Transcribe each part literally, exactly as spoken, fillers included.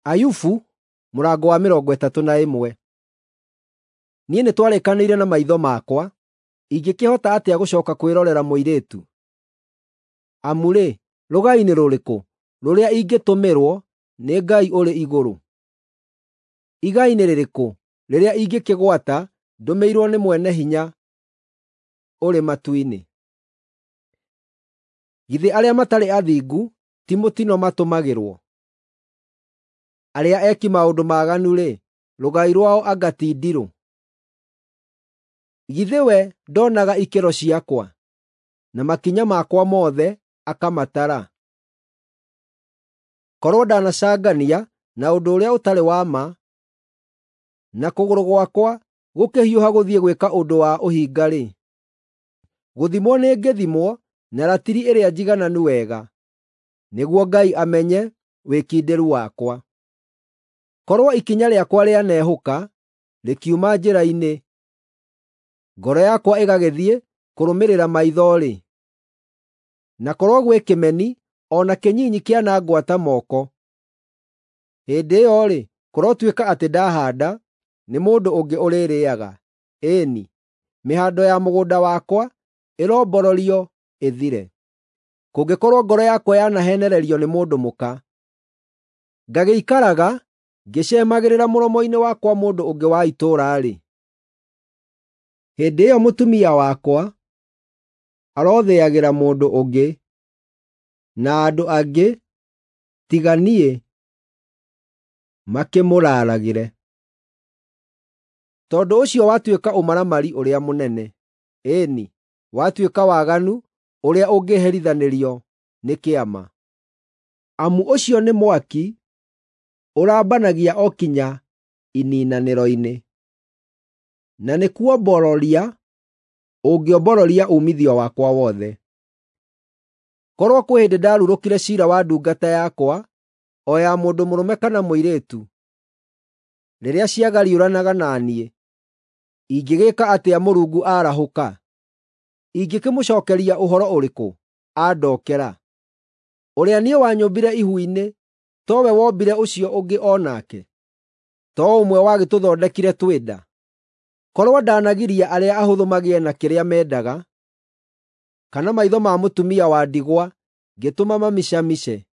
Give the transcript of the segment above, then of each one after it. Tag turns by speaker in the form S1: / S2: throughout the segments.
S1: Ayubu mũrango wa mĩrongo ĩtatũ na ĩmwe. Niĩ nĩtwarĩkanĩire na maitho makwa, ingĩkĩhota atĩa gũcooka kwĩrorera mũirĩtu? Amu-rĩ, rũgai nĩ rũrĩkũ rũrĩa ingĩtũmĩrwo nĩ Ngai ũrĩ igũrũ? Igai nĩ rĩrĩkũ rĩrĩa ingĩkĩgwata ndũmĩirwo nĩ Mwene-Hinya ũrĩ matu-inĩ? Githĩ arĩa matarĩ athingu ti mũtino matũmagĩrwo? Arĩa eki maũndũ maaganu-rĩ, rũgai rwao anga ti ndirũ? Githĩ we ndonaga ikĩro ciakwa, na makinya makwa mothe akamatara? Korwo ndanacangania na ũndũ ũrĩa ũtarĩ wa ma, na kũgũrũ gwakwa gũkĩhiũha gũthiĩ gwĩka ũndũ wa ũhinga-rĩ, gũthimwo nĩngĩthimwo na ratiri ĩrĩa njigananu wega, nĩguo Ngai amenye wĩkindĩru wakwa. Korwo ikinya rĩakwa rĩanehũka rĩkiuma njĩra-inĩ, ngoro yakwa ĩgagĩthiĩ kũrũmĩrĩra maitho-rĩ, na korwo gwĩ kĩmeni o na kĩnyinyi kĩanangwata moko, hĩndĩ ĩyo-rĩ, kũrotuĩka atĩ ndahaanda, nĩ mũndũ ũngĩ ũrĩrĩĩaga; ĩĩ-ni, mĩhando ya mũgũnda wakwa ĩrombororio ĩthire. Kũngĩkorwo ngoro yakwa yanaheenererio nĩ mũndũ mũka, ngagĩikaraga ngĩceemagĩrĩra mũromo-inĩ wa kwa mũndũ ũngĩ wa itũũra-rĩ, hĩndĩ ĩyo mũtumia wakwa arothĩagĩra mũndũ ũngĩ, na andũ angĩ tiga niĩ makĩmũraaragĩre. Tondũ ũcio watuĩka ũmaramari ũrĩa mũnene, ĩĩ-ni, watuĩka waganu ũrĩa ũngĩherithanĩrio nĩ kĩama. Amu ũcio nĩ mwaki ũrambanagia o kinya iniinanĩro-inĩ, na nĩkuombororia ũngĩombororia uumithio wakwa wothe. Korwo kwĩ hĩndĩ ndarurũkire ciira wa ndungata yakwa, o ya mũndũ mũrũme kana mũirĩtu, rĩrĩa ciagariũranaga na niĩ, ingĩgĩĩka atĩa Mũrungu aarahũka? Ingĩkĩmũcookeria ũhoro ũrĩkũ andookera? Ũrĩa niĩ wanyũmbire ihu-inĩ towe wombire ũcio ũngĩ o nake? To ũmwe wagĩtũthondekire twĩ nda? Korwo ndanagiria arĩa ahũthũ magĩe na kĩrĩa mendaga, kana maitho ma mũtumia wa ndigwa ngĩtũma mamicamice,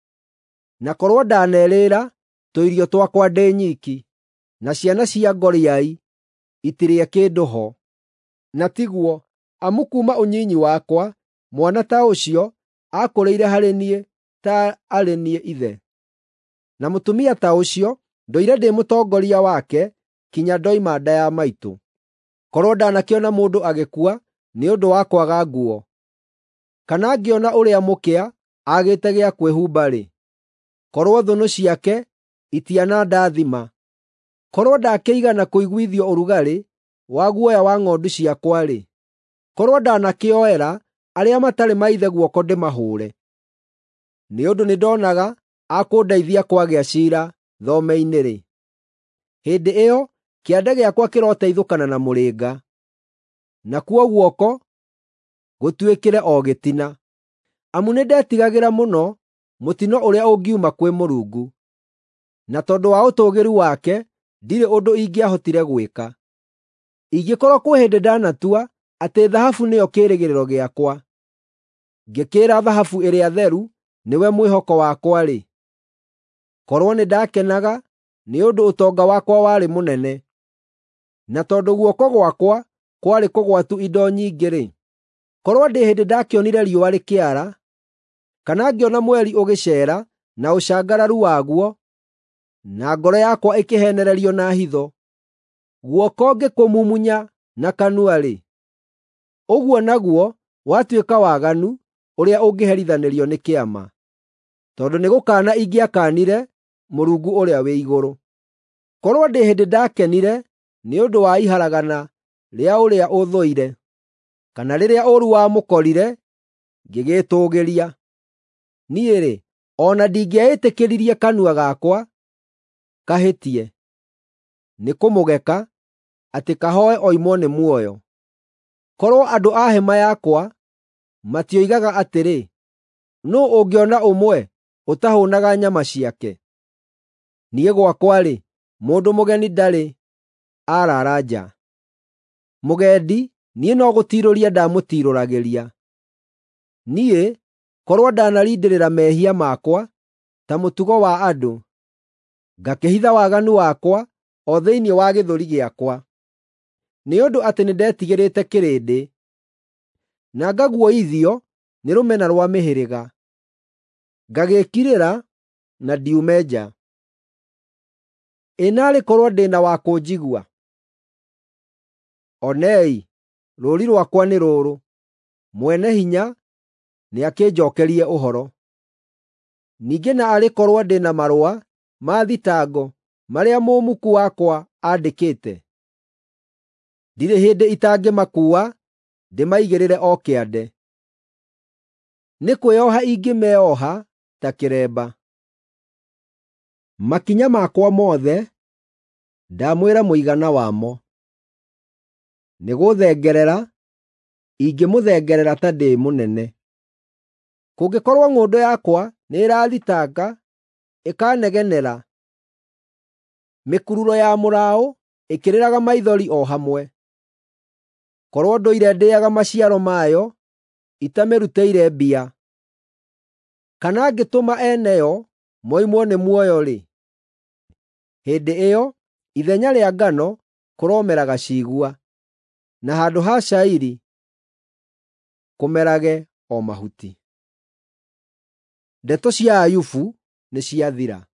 S1: na korwo ndanerĩĩra tũirio twakwa ndĩ nyiki, na ciana cia ngoriai itirĩe kĩndũ ho. Na tiguo, amu kuuma ũnyinyi wakwa mwana ta ũcio aakũrĩire harĩ niĩ ta arĩ niĩ ithe. Na mũtumia ta ũcio ndũire ndĩ mũtongoria wake kinya ndoima nda ya maitũ. Korwo ndanakĩona mũndũ agĩkua nĩ ũndũ wa kwaga nguo, kana ngĩona ũrĩa mũkĩa aagĩte gĩa kwĩhumba-rĩ, korwo thũnũ ciake itianandathima, korwo ndakĩigana kũiguithio ũrugarĩ wa guoya wa ng'ondu ciakwa-rĩ, korwo ndanakĩoera arĩa matarĩ maithe guoko ndĩmahũũre. Nĩ ũndũ nĩndonaga a kũndeithia kwagĩa ciira thome-inĩ-rĩ, hĩndĩ ĩyo kĩande gĩakwa kĩroteithũkana na mũrĩnga, nakuo guoko gũtuĩkĩre o gĩtina. Amu nĩndetigagĩra mũno mũtino ũrĩa ũngiuma kwĩ Mũrungu, na tondũ wa ũtũũgĩru wake ndirĩ ũndũ ingĩahotire gwĩka. Ingĩkorwo kwĩ hĩndĩ ndanatua atĩ thahabu nĩyo kĩĩrĩgĩrĩro gĩakwa, ngĩkĩĩra thahabu ĩrĩa theru nĩwe mwĩhoko wakwa-rĩ, korwo nĩndakenaga nĩ ũndũ ũtonga wakwa warĩ mũnene, na tondũ guoko gwakwa kwarĩ kũgwatu indo nyingĩ-rĩ, korwo ndĩ hĩndĩ ndakĩonire riũa rĩkĩara, kana ngĩona mweri ũgĩceera na ũcangararu waguo, na ngoro yakwa ĩkĩheenererio na hitho, guoko ngĩkũmumunya na kanua-rĩ, ũguo naguo watuĩka waganu ũrĩa ũngĩherithanĩrio nĩ kĩama, tondũ nĩgũkaana ingĩakaanire Mũrungu ũrĩa wĩ igũrũ. Korwo ndĩ hĩndĩ ndakenire nĩ ũndũ wa iharagana rĩa ũrĩa ũthũire, kana rĩrĩa ũũru wamũkorire ngĩgĩĩtũũgĩria, niĩ-rĩ, o na ndingĩaĩtĩkĩririe kanua gakwa kahĩtie nĩkũmũgeka atĩ kahooe oimwo nĩ muoyo. Korwo andũ a hema yakwa matioigaga atĩrĩ, “Nũũ ũngĩona ũmwe ũtahũũnaga nyama ciake?” Niĩ gwakwa-rĩ, mũndũ mũgeni ndarĩ aaraara nja. Mũgendi niĩ no gũtiirũria ndamũtiirũragĩria. Niĩ korwo ndanarindĩrĩra mehia makwa ta mũtugo wa andũ, ngakĩhitha waganu wakwa o thĩinĩ wa gĩthũri gĩakwa, nĩ ũndũ atĩ nĩndetigĩrĩte kĩrĩndĩ, na ngaguoyoithio nĩ rũmena rwa mĩhĩrĩga, ngagĩĩkirĩra na ndiume nja. Ĩ naarĩ korwo ndĩ na wa kũnjigua! Onei, rũũri rwakwa nĩ rũrũ: Mwene-Hinya nĩakĩnjookerie ũhoro. Ningĩ na arĩ korwo ndĩ na marũa ma thitango marĩa mũmuku wakwa andĩkĩte! Ndirĩ hĩndĩ itangĩmakuua ndĩmaigĩrĩre o kĩande. Nĩ kwĩoha ingĩmeoha ta kĩremba. Makinya makwa mothe ndamwĩra mũigana wamo. Nĩgũthengerera ingĩmũthengerera ta ndĩ mũnene. Kũngĩkorwo ng'ũndũ yakwa nĩĩrathitanga, ĩkanegenera, mĩkururo ya mũraũ ĩkĩrĩraga maithori o hamwe, korwo ndũire ndĩĩaga maciaro mayo itamĩrutĩire mbia, kana ngĩtũma ene yo moimwo nĩ muoyo-rĩ, hĩndĩ ĩyo ithenya rĩa ngano kũromeraga ciigua, na handũ ha cairi kũmerage o mahuti. Ndeto cia Ayubu nĩciathira.